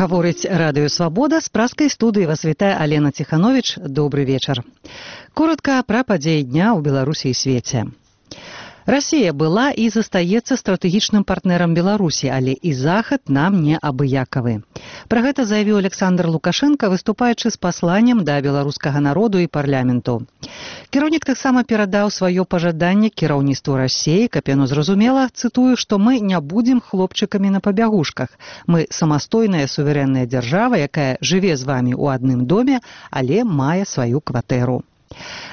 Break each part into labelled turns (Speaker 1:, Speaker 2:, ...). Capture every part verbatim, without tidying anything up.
Speaker 1: Гаворыць радыё «Свабода», з праскай студыі вас вітае Алена Ціхановіч. Добры вечар. Коротка пра падзеі дня ў Беларусі і свеце. Расія была і застаецца стратэгічным партнерам Беларусі, але і Захад нам не абыякавы. Пра гэта заявіў Александр Лукашенко, выступаючы з пасланнем да беларускага народу і парламенту. Кіраўнік таксама перадаў сваё пажаданне кіраўніцтву Расіі, каб яно зразумела, цытую, што мы не будзем хлопчыкамі на пабягушках. Мы самастойная суверэнная дзяржава, якая жыве з вамі ў адным доме, але мае сваю кватэру.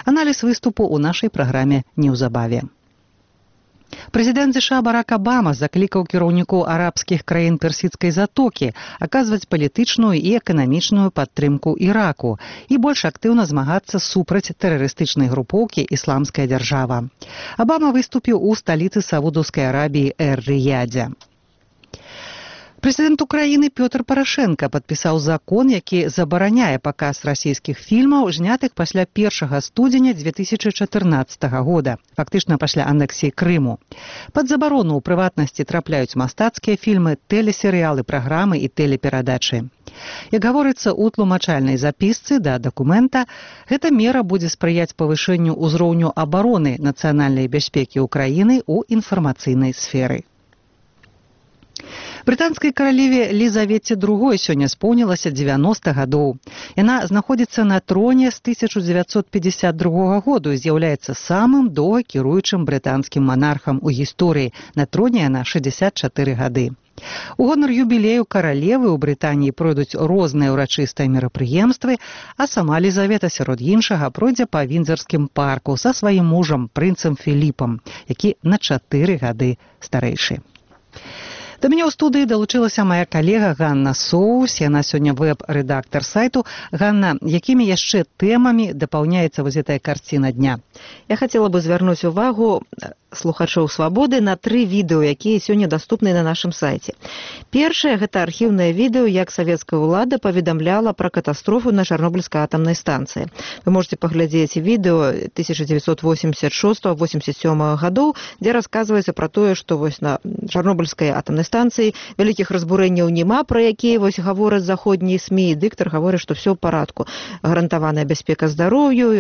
Speaker 1: Аналіз выступу ў нашай праграме неўзабаве. Прэзідэнт ЗША Барак Абама заклікаў кіраўнікоў арабскіх краін Персідскай затокі аказваць палітычную і эканамічную падтрымку Іраку і больш актыўна змагацца супраць тэрарыстычнай групоўкі «Ісламская дзяржава». Абама выступіў у сталіцы Саудаўскай Арабіі Эр-Рыядзе. Прэзідэнт Украіны Пётр Парашенка падпісаў закон, які забараняе паказ расійскіх фільмаў, знятых пасля першага студзеня дзве тысячы чатырнаццатага года, фактычна пасля анексіі Крыму. Пад забарону ў прыватнасці трапляюць мастацкія фільмы, тэлесерыялы, праграмы і тэлеперадачы. Як гаворыцца ў тлумачальнай запісцы да дакумента, гэта мера будзе спрыяць павышэнню ўзроўню абароны нацыянальнай бяспекі ўкраіны ў інфармацыйнай сферы. Брытанскай каралеве Лізавеце другой сёння споўнілася дзевяноста гадоў. Яна знаходзіцца на троне з тысяча дзевяцьсот пятьдесят другога году і з'яўляецца самым доўгакіруючым брытанскім манархам у гісторыі. На троне яна шэсцьдзесят чатыры гады. У гонар юбілею каралевы ў Брытаніі пройдуць розныя ўрачыстыя мерапрыемствы, а сама Лізавета сярод іншага пройдзе па Віндзарскім парку са сваім мужам, прынцам Філіпам, які на чатыры гады старэйшы. Да мяне ў студыі далучылася мая калега Ганна Соус, яна сёння вэб-рэдактар сайту. Ганна, якімі яшчэ тэмамі дапаўняецца вось гэтая карціна дня?
Speaker 2: Я хацела бы звярнуць увагу слухачоў «Свабоды» на тры відэо, якія сёння даступны на нашым сайце. Першае – гэта архіўнае відэо, як савецкая ўлада паведамляла пра катастрофу на Чарнобыльскай атамнай станцыі. Вы можете паглядзець відэо тысяча дзевяцьсот восемьдесят шостага — восемьдесят сёмага гадоў, дзе расказваецца пра тое, што вось на Чарнобыльскай атамнай станцыі вялікіх разбурэнняў няма, пра якія вось гавораць заходнія СМІ, і дыктар гаворыць, што ўсё ў парадку. Гарантаваная бяспека здароўю,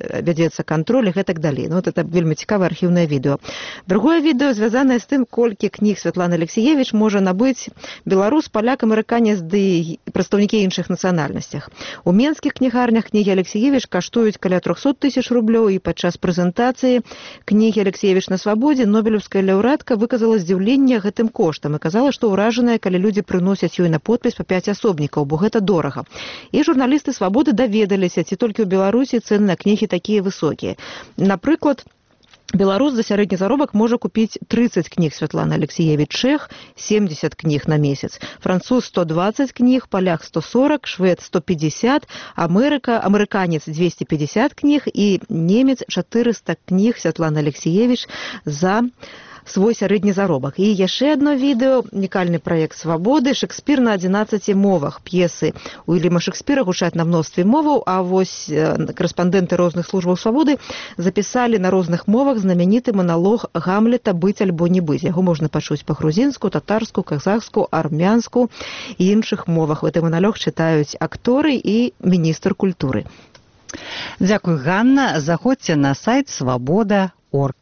Speaker 2: вядзецца кантроль і гэтак далей. Ну, вот это вельмі цікавае архіўнае відэо. Другое відэо звязанае з тым, колькі кніг Святланы Алексіевіч можа набыць беларус, паляк, амерыканец ды прадстаўнікі іншых нацыянальнасцях. У менскіх кнігарнях кнігі Алексіевіч каштуюць каля трохсот тысяч рублёў, і падчас прэзентацыі кнігі Алексіевіч на свабодзе нобелеўская лаўрэатка выказала здзіўленне гэтым коштам і казала, што ўражаная, калі людзі прыносяць ёй на подпіс па пяць асобнікаў, бо гэта дорага. І журналісты «Свабоды» даведаліся, ці толькі ў Беларусі цэны на кнігі такія высокія. Напрыклад, беларус за сярэдні заробак можа купіць трыццаць кніг Святланы Алексіевіч, чэх семьдесят кніг на месяц, француз сто двадцать кніг, паляк сто сорок, швед сто пятьдесят, Амерыка, амерыканец двести пятьдесят кніг і немец четыреста кніг Святланы Алексіевіч за свой сярэдні заробак. І яшчэ адно відэо, унікальны праект «Свабоды», Шекспір на адзінаццаці мовах. П'есы Уільяма Шекспіра гучаць на мностве моваў, а вось корэспандэнты розных службаў «Свабоды» запісалі на розных мовах знамяніты маналог Гамлета «Быць альбо не быць». Яго можна пачуць па-грузінску, татарску, казахску, армянску і іншых мовах. Гэты маналог чытаюць акторы і міністр культуры.
Speaker 1: Дзякуй, Ганна. Заходзьце на сайт свабода точка орг.